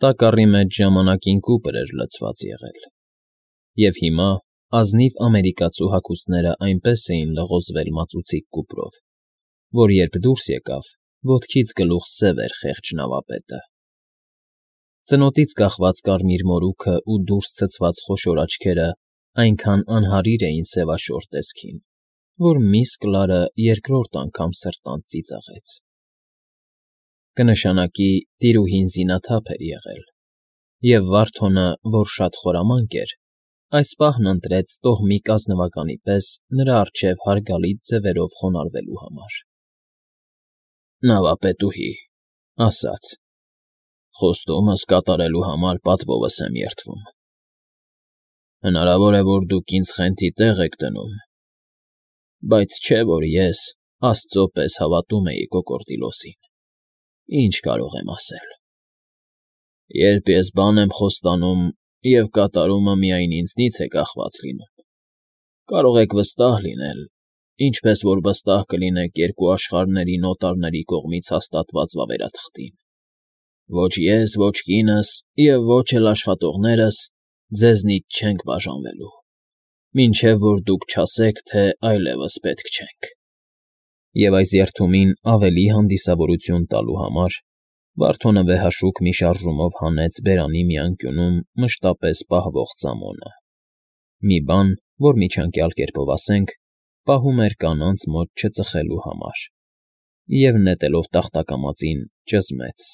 Տակառի մեջ ժամանակին կուպր էր լցված եղել, և հիմա ազնիվ ամերիկացու հագուստները այնպես էին լղոզվել մածուցիկ կուպրով, որ երբ դուրս եկավ, ոտքից գլուխ սև էր խեղճ նավապետը. ծնոտից կախված կարմիր մորուքը ու դուրս ցցված խոշոր աչքերը այնքան անհարիր էին սևաշոր տեսքին, որ միս Կլարը երկրորդ անգամ սրտանց ծիծաղեց. կնշանակի տիրուհին զինաթափ էր եղել, և Վարդոնը, որ շատ խորամանկ էր, այս պահն ընտրեց տոհմիկ ազնվականի պես նրա առջև հարգալից ձևերով խոնարհվելու համար։ Նավապետուհի, ասաց. խոստումս կատարելու համար պատվովս եմ երդվում։ Հնարավոր է, որ դուք ինձ խենթի տեղ եք դնում, բայց չէ, որ ես աստծո պես հավատում էի կոկորդիլոսին, ինչ կարող եմ ասել։ Երբ ես բան եմ խոստանում, և կատարումը միայն ինձնից է կախված լինում, կարող եք վստահ լինել, ինչպես որ վստահ կլինեք երկու աշխարհների նոտարների կողմից հաստատված վավերաթղթին. ոչ ես, ոչ կինս և ոչ էլ աշխատողներս ձեզնից չենք բաժանվելու, մինչև որ դուք չասեք, թե այլևս պետք չենք։ Եվ այս երդումին ավելի հանդիսավորություն տալու համար Վարդոնը վեհաշուկ մի շարժումով հանեց բերանի մի անկյունում մշտապես պահվող ծամոնը, մի բան, որ միջանկյալ կերպով ասենք, պահում էր կանանց մոտ չծխելու համար, և նետելով տախտակամածին ճզմեց.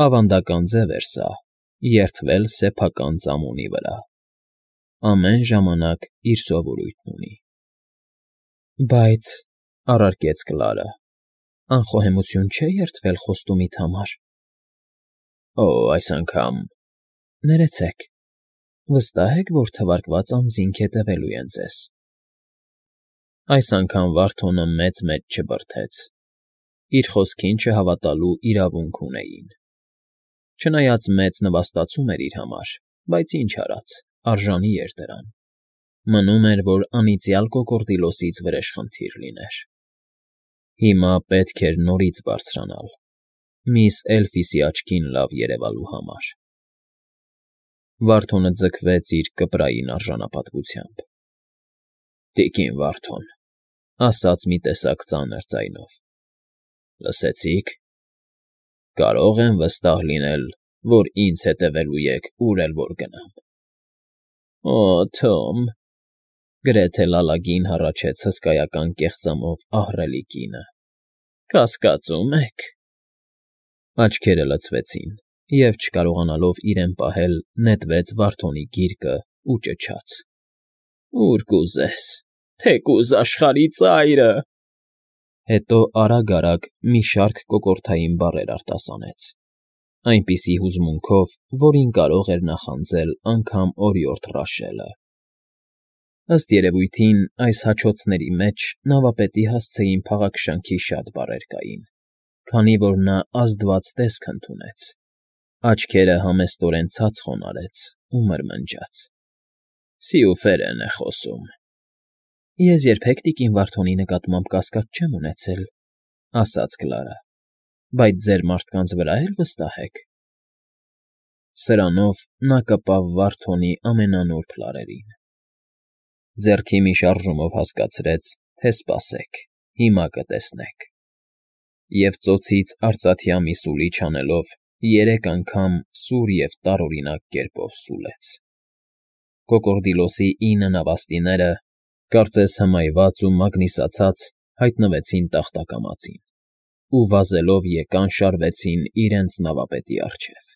ավանդական ձև էր սա, երդվել սեփական ծամոնի վրա, ամեն ժամանակ իր սովորույթն ունի։ Բայց, առարկեց Կլարը, անխոհեմություն չէ երդվել խոստումիդ համար։ Օ, այս անգամ… Ներեցեք, վստահ եք, որ թվարկված անձինք հետևելու են ձեզ։ Այս անգամ Վարդոնը մեծ չբրդեց, իր խոսքին չհավատալու իրավունք ունեին։ Չնայած մեծ նվաստացում էր իր համար, բայց ինչ արած, արժանի էր դրան։ Մնում էր, որ անիծյալ կոկորդիլոսից վրեժխնդիր լիներ։ Հիմա պետք էր նորից բարձրանալ, միս Էլֆիսի աչքին լավ երևալու համար։ Վարդոնը ձգվեց իր կպրային արժանապատվությամբ։ Տիկին Վարդոն, ասաց մի տեսակ ծանր ձայնով, լսեցի՞ք. կարող եմ վստահ լինել, որ ինձ հետևելու եք ուր էլ որ գնամ։ Օ, Թոմ, գրեթե լալագին հառաչեց հսկայական կեղծամով ահռելի կինը, կասկածո՞ւմ եք։ Աչքերը լցվեցին, և, չկարողանալով իրեն պահել, նետվեց Վարդոնի գիրկն ու ճչաց. Ուր կուզես, թեկուզ աշխարհի ծայրը… Հետո արագ մի շարք կոկորդային բառեր արտասանեց, այնպիսի հուզմունքով, որին կարող էր նախանձել անգամ օրիորդ Ռաշելը։ Ըստ երևույթին, այս հաչոցների մեջ նավապետի հասցեին փաղաքշանքի շատ բառեր կային, քանի որ նա ազդված տեսք ընդունեց, աչքերը համեստորեն ցած խոնարհեց ու մրմնջաց. Սիուֆերեն է խոսում։ Ես երբեք տիկին Վարդոնի նկատմամբ կասկած չեմ ունեցել, ասաց Կլարը, բայց ձեր մարդկանց վրա էլ վստահ եք։ Սրանով նա կպավ Վարդոնի ամենանուրբ լարերին։ Ձեռքի մի շարժումով հասկացրեց, թե սպասեք, հիմա կտեսնեք։ Եվ ծոցից արծաթյա մի սուլիչ անելով 3 անգամ սուր և տարօրինակ կերպով սուլեց։ Կոկորդիլոսի 9 նավաստիները, կարծես հմայված ու մագնիսացած, հայտնվեցին տախտակամածին ու վազելով եկան շարվեցին իրենց նավապետի առջև։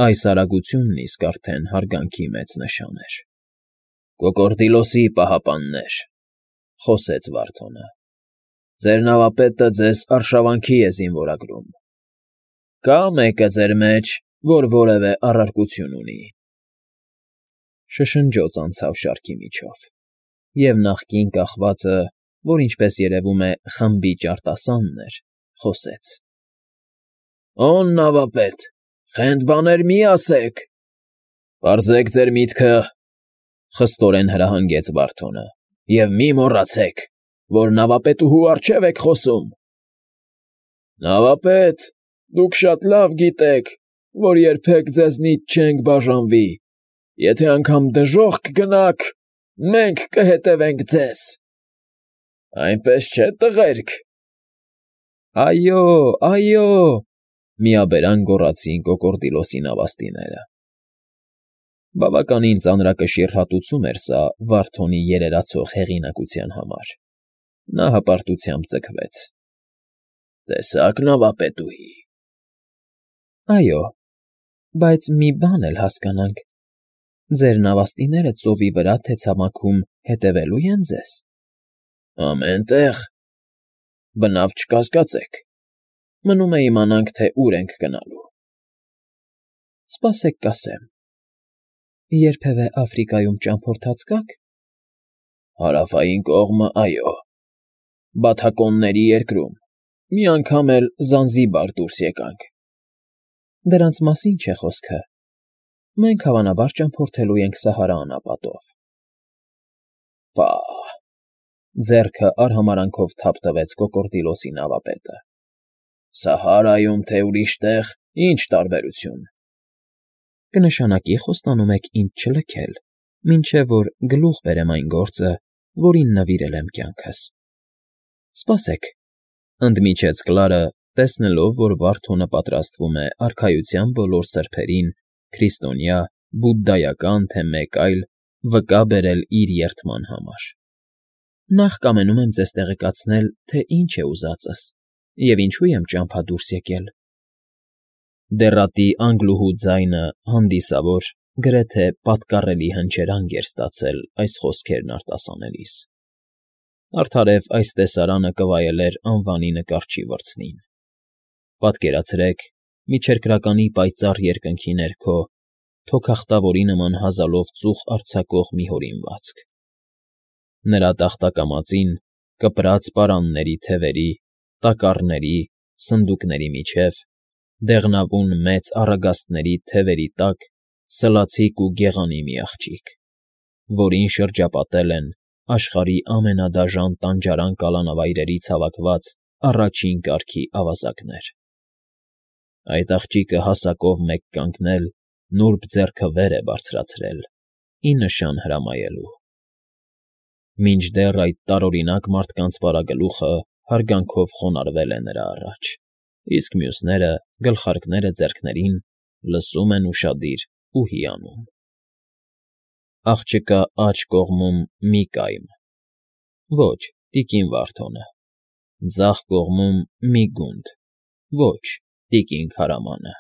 Այս արագությունն իսկ արդեն հարգանքի մեծ նշան էր։ Կոկորդիլոսի պահապաններ, խոսեց Վարդոնը, ձեր նավապետը ձեզ արշավանքի է զինվորագրում։ Կա՞ մեկը ձեր մեջ, որ որևէ առարկություն ունի։ Շշնջոց անցավ շարքի միջով, և նախկին կախվածը, որ ինչպես երևում է խմբի ջարտասանն էր, խոսեց. Օն նավապետ, խենթ բաներ մի ասեք։ Պարզեք ձեր միտքը, խստորեն հրահանգեց Վարդոնը, և մի մոռացեք, որ նավապետուհու առջև եք խոսում։ Նավապետ, դուք շատ լավ գիտեք, որ երբեք ձեզնից չենք բաժանվի, եթե անգամ դժոխք գնաք, մենք կհետևենք ձեզ։ Այնպես չէ, տղերք։ Այո, այո, միաբերան գոռացին կոկորդիլոսի նավաստիները։ Բավականին ծանրակշիռ հատուցում էր սա Վարդոնի երերացող հեղինակության համար։ Նա հպարտությամբ ձգվեց։ Տեսա՞ք, նավապետուհի։ Այո, բայց մի բան էլ հասկանանք. ձեր նավաստիները ծովի վրա թե ցամաքում հետևելու են ձեզ։ Ամեն տեղ։ Բնավ չկասկածեք։ Մնում է իմանանք, թե ուր ենք գնալու։ Սպասեք կասեմ։ Երբևէ Աֆրիկայում ճամփորդած կաք։ Հարավային կողմը, այո։ Բաթակոնների երկրում։ Մի անգամ էլ Զանզիբար դուրս եկանք։ Դրանց մասին չէ խոսքը։ Մենք հավանաբար ճամփորդելու ենք Սահարա անապատով։ Պահ, Ձեռքը արհամարանքով թափ տվեց կոկորդիլոսի նավապետը։ Սահարայում թե ուրիշ տեղ, ինչ տարբերություն։ Կնշանակի խոստանում եք ինձ չլքել, մինչև որ գլուխ բերեմ այն գործը, որին նվիրել եմ կյանքս։ Սպասեք, ընդմիջեց Կլարը, տեսնելով, որ Վարդոնը պատրաստվում է արքայության բոլոր սրբերին, քրիստոնյա, բուդդայական, թե մեկ այլ, վկա բերել իր երդման համար։ Նախ կամենում եմ ձեզ տեղեկացնել, թե ինչ է ուզածս, և ինչու եմ ճամփա դուրս եկել։ Դեռատի անգլուհու ձայնը հանդիսավոր, գրեթե պատկառելի հնչերանգ էր ստացել այս խոսքերն արտասանելիս։ Արդարև այս տեսարանը կվայելեր անվանի նկարչի վրձնին։ Պատկերացրեք, միջերկրականի պայծառ երկնքի ներքո, թոքախտավորի նման հազալով ծուխ արձակող մի հորինվածք։ Նրա տախտակամածին, կպրած պարանների թևերի, տակառների, սնդուկների միջև, դեղնավուն մեծ առագաստների թևերի տակ սլացիկ ու գեղանի մի աղջիկ, որին շրջապատել են աշխարհի ամենադաժան տանջարան կալանավայրերից հավաքված առաջին կարգի ավազակներ։ Այդ աղջիկը հասակով մեկ կանգնել, նուրբ ձեռքը վեր է բարձրացրել, ի նշան հրամայելու։ Մինչդեռ այդ տարօրինակ մարդկանց պարագլուխը հարգանքով խոնարհվել է նրա առաջ, իսկ մյուսները, գլխարկները ձեռքներին, լսում են ուշադիր ու հիանում։ Աղջկա աջ կողմում մի կայմ։ Ոչ, տիկին Վարդոնը։ Ձախ կողմում մի գունդ։ Ոչ, տիկին Քարամանը։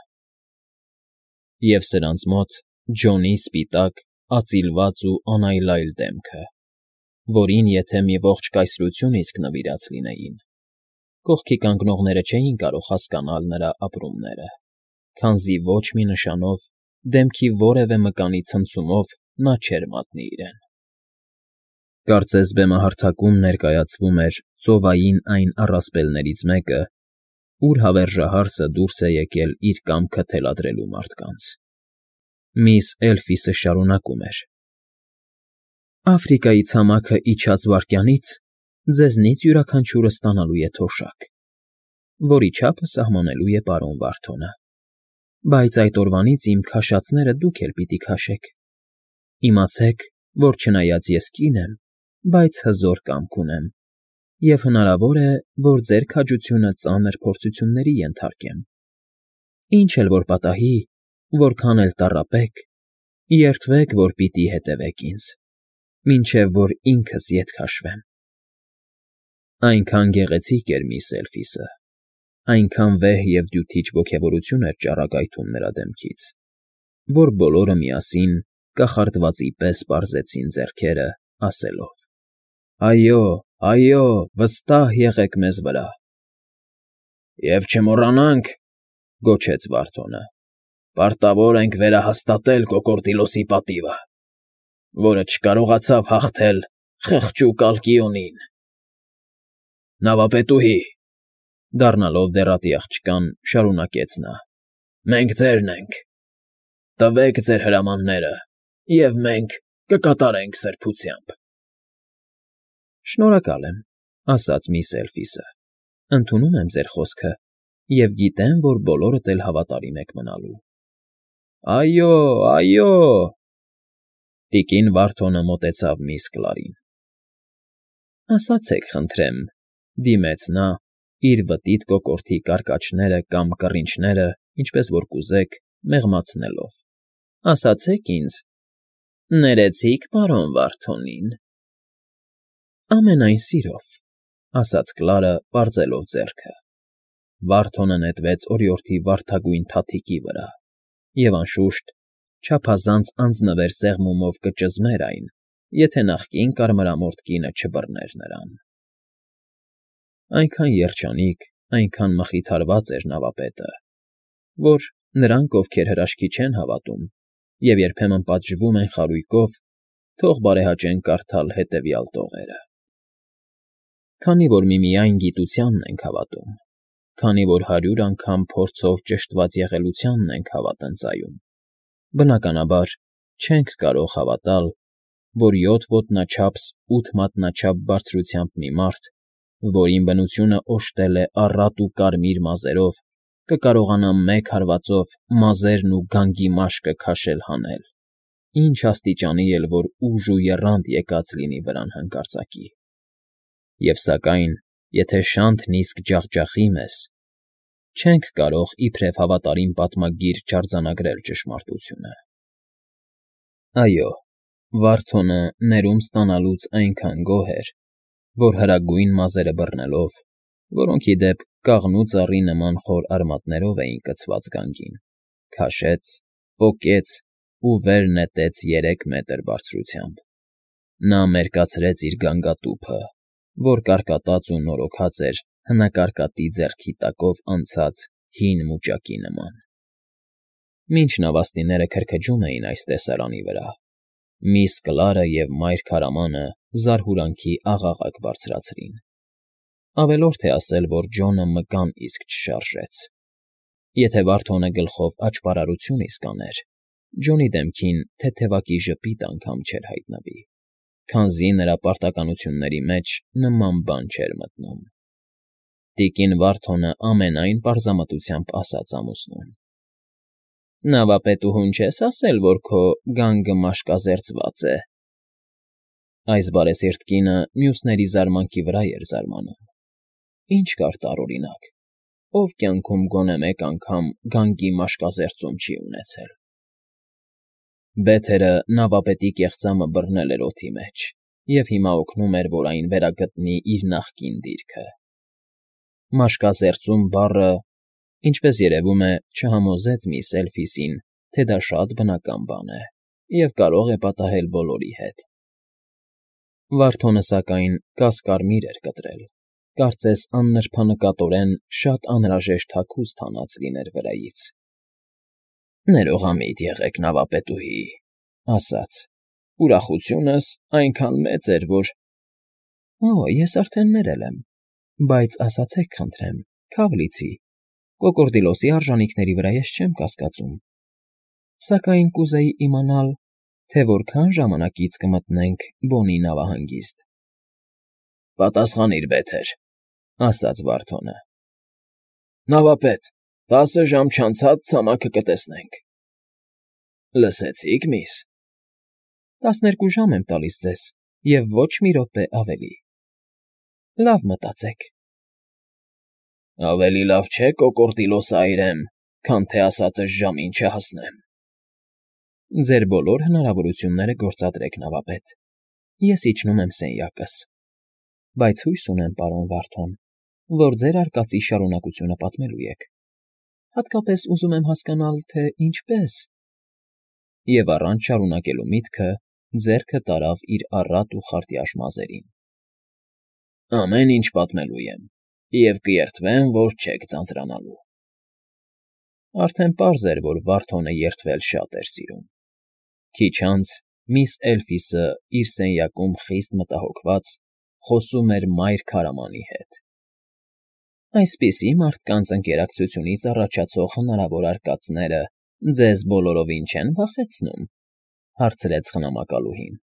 Եվ սրանց մոտ Ջոնի սպիտակ, ածիլված ու անայլայլ դեմքը, որին եթե մի ողջ կայսրություն իսկ նվիրած լինեին, կողքի կանգնողները չէին կարող հասկանալ նրա ապրումները, քանզի ոչ մի նշանով, դեմքի որևէ մկանի ցնցումով նա չէր մատնի իրեն։ Կարծես բեմահարթակում ներկայացվում էր ծովային այն առասպելներից մեկը, ուր հավերժահարսը դուրս է եկել իր կամքը թելադրելու մարդկանց։ Միս Էլֆիսը շարունակում էր. Աֆրիկայի ցամաքը իջած վայրկյանից ձեզնից յուրաքանչյուրը ստանալու է թոշակ, որի չափը սահմանելու է պարոն Վարդոնը։ Բայց այդ օրվանից իմ քաշածները դուք էլ պիտի քաշեք։ Իմացեք, որ չնայած ես կին եմ, բայց հզոր կամք ունեմ, և հնարավոր է, որ ձեր քաջությունը ծանր փորձությունների ենթարկեմ։ Ինչ էլ որ պատահի, որքան էլ տառապեք, երդվեք, որ պիտի հետևեք ինձ, մինչև որ ինքս ետ քաշվեմ։ Այնքան գեղեցիկ էր միս Էլֆիսը, այնքան վեհ և դյութիչ ոգևորություն էր ճառագայթում նրա դեմքից, որ բոլորը միասին կախարդվածի պես պարզեցին ձեռքերը, ասելով. Այո, այո, վստահ եղեք մեզ վրա։ Եվ չմոռանանք, գոչեց Վարդոնը, պարտավոր ենք վերահաստատել Կոկորդիլոսի պատիվը, որը չկարողացավ հաղթել խղճուկ Ալկիոնին։ Նավապետուհի, դառնալով դեռատի աղջկան, շարունակեց նա. մենք ձերն ենք։ Տվեք ձեր հրամանները, և մենք կկատարենք սրբությամբ։ Շնորհակալ եմ, ասաց միս Էլֆիսը։ Ընդունում եմ ձեր խոսքը և գիտեմ, որ բոլորդ էլ հավատարիմ եք մնալու։ Այո, այո։ Տիկին Վարդոնը մոտեցավ միս Կլարին։ Ասացեք, խնդրեմ, դիմեց նա, իր վտիտ կոկորդի կարկաչները կամ կռինչները, ինչպես որ կուզեք, մեղմացնելով։ Ասացեք ինձ. ներեցի՞ք պարոն Վարդոնին։ Ամենայն սիրով, ասաց Կլարը, պարզելով ձեռքը։ Վարդոնը նետվեց օրիորդի վարդագույն թաթիկի վրա, և անշուշտ, չափազանց անձնվեր սեղմումով կճզմեր այն, եթե նախկին կարմրամորթ կինը չբռներ նրան։ Այնքան երջանիկ, այնքան մխիթարված էր նավապետը, որ նրանք, ովքեր հրաշքի չեն հավատում և երբեմն պատժվում են խարույկով, թող բարեհաճեն կարդալ հետևյալ տողերը. Քանի որ միմիայն գիտությանն ենք հավատում, քանի որ 100 անգամ փորձով ճշտված եղելությանն ենք հավատնծայում, բնականաբար չենք կարող հավատալ, որ 7 ոտնաչափս 8 մատնաչափ բարձրությամբ մի մարդ, որին բնությունը օժտել է առատ ու կարմիր մազերով, կկարողանա մեկ հարվածով մազերն ու գանգի մաշկը քաշել հանել, ինչ աստիճանի էլ որ ուժ ու եռանդ եկած լինի վրան հանկարծակի։ Եվ սակայն, եթե շանթն իսկ ջախջախի մեզ, չենք կարող իբրև հավատարիմ պատմագիր չարձանագրել ճշմարտությունը։ Այո, Վարդոնը ներում ստանալուց այնքան գոհ էր, որ հրագույն մազերը բռնելով, որոնք ի դեպ կաղնու ծառի նման խոր արմատներով էին կցված գանգին, քաշեց, պոկեց ու վեր նետեց 3 մետր բարձրությամբ։ Նա մերկացրեց իր գանգատուփը, որ կարկատած ու նորոգած էր հնակարկատի ձեռքի տակով անցած հին մուճակի նման։ Մինչ նավաստիները քրքջում էին այս տեսարանի վրա, միս Կլարը և մայր քարամանը զարհուրանքի աղաղակ բարձրացրին։ Ավելորդ է ասել, որ Ջոնը մկան իսկ չշարժեց։ Եթե Վարդոնը գլխով աճպարարություն իսկ աներ, Ջոնի դեմքին թեթևակի ժպիտ անգամ չէր հայտնվի, քանզի նրա պարտականությունների մեջ նման բան չէր մտնում։ Տիկին Վարդոնը ամենայն պարզամտությամբ ասաց ամուսնուն. Նավապետուհուն չես ասել, որ քո գանգը մաշկազերծված է։ Այս բարեսիրտ կինը մյուսների զարմանքի վրա էր զարմանում։ Ինչ կար տարօրինակ, ով կյանքում գոնե մեկ անգամ գանգի մաշկազերծում չի ունեցել։ Բեթերը նավապետի կեղծամը բռնել էր օդի մեջ և հիմա օգնում էր, որ այն վերագտնի իր նախկին դիրքը։ Մաշկազերծում բառը, ինչպես երևում է, չհամոզեց միս Էլֆիսին, թե դա շատ բնական բան է և կարող է պատահել բոլորի հետ։ Վարդոնը, սակայն, կասկարմիր էր կտրել, կարծես աննրբանկատորեն շատ անհրաժեշտ հագուստ հանած լիներ վրայից։ Ներողամիտ եղեք, նավապետուհի, ասաց, ուրախությունս այնքան մեծ էր, որ… Ես արդեն ներել եմ, բայց ասացեք, խնդրեմ, քավ լիցի, կոկորդիլոսի արժանիքների վրա ես չեմ կասկածում, սակայն կուզեի իմանալ, թե որքան ժամանակից կմտնենք Բոնի նավահանգիստ։ Պատասխանիր, Բեթեր, ասաց Վարդոնը։ Նավապետ, 10 ժամ չանցած ցամաքը կտեսնենք։ Լսեցի՞ք, միս։ 12 ժամ եմ տալիս ձեզ և ոչ մի րոպե ավելի։ Լավ մտածեք։ Ավելի լավ չէ կոկորդիլոսը այրեմ, քան թե ասածս ժամին չհասնեմ։ Ձեր բոլոր հնարավորությունները գործադրեք, նավապետ, ես իջնում եմ սենյակս, բայց հույս ունեմ, պարոն Վարդոն, որ ձեր արկածի շարունակությունը պատմելու եք, հատկապես ուզում եմ հասկանալ, թե ինչպես… Եվ առանց շարունակելու միտքը ձեռքը տարավ իր առատ ու խարտյաշ մազերին։ Ամեն ինչ պատմելու եմ, և կերտվեմ, որ չեք ձանձրանալու։ Արդեն պարզ էր, որ Վարդոնը երդվել շատ էր սիրում։ Քիչ անց միս Էլֆիսը իր սենյակում խիստ մտահոգված խոսում էր մայր քարամանի հետ։ Այսպիսի մարդկանց ընկերակցությունից առաջացող հնարավոր արկածները ձեզ բոլորովին չեն վախեցնում, հարցրեց խնամակալուհին։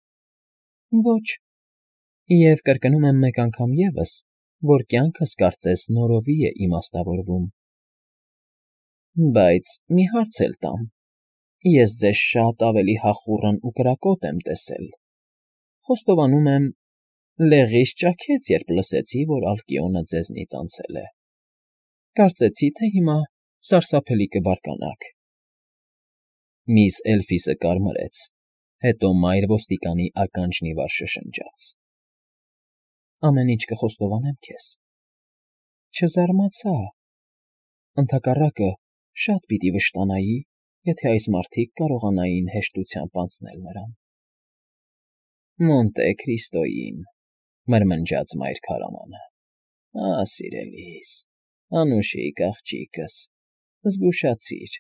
Ոչ, և կրկնում եմ մեկ անգամ ևս, որ կյանքս կարծես նորովի է իմաստավորվում։ Բայց մի հարց էլ տամ, Ես ձեզ շատ ավելի հախուռն ու կրակոտ եմ տեսել, խոստովանում եմ, լեղիս ճաքեց, երբ լսեցի, որ Ալկիոնը ձեզնից անցել է, կարծեցի, թե հիմա սարսափելի կբարկանաք։ Միss Էլֆիսը կարմրեց, հետո մայր ոստիկանի ականջն ի վար շշնջաց. Ամեն ինչ կխոստովանեմ քեզ։ Չզարմացա, ընդհակառակը շատ պիտի վշտանայի, եթե այս մարդիկ կարողանային հեշտությամբ անցնել նրան։ Մոնտե Քրիստոյին, մրմնջաց մայր քարամանը։ Սիրելիս, անուշիկ աղջիկս, զգուշացիր,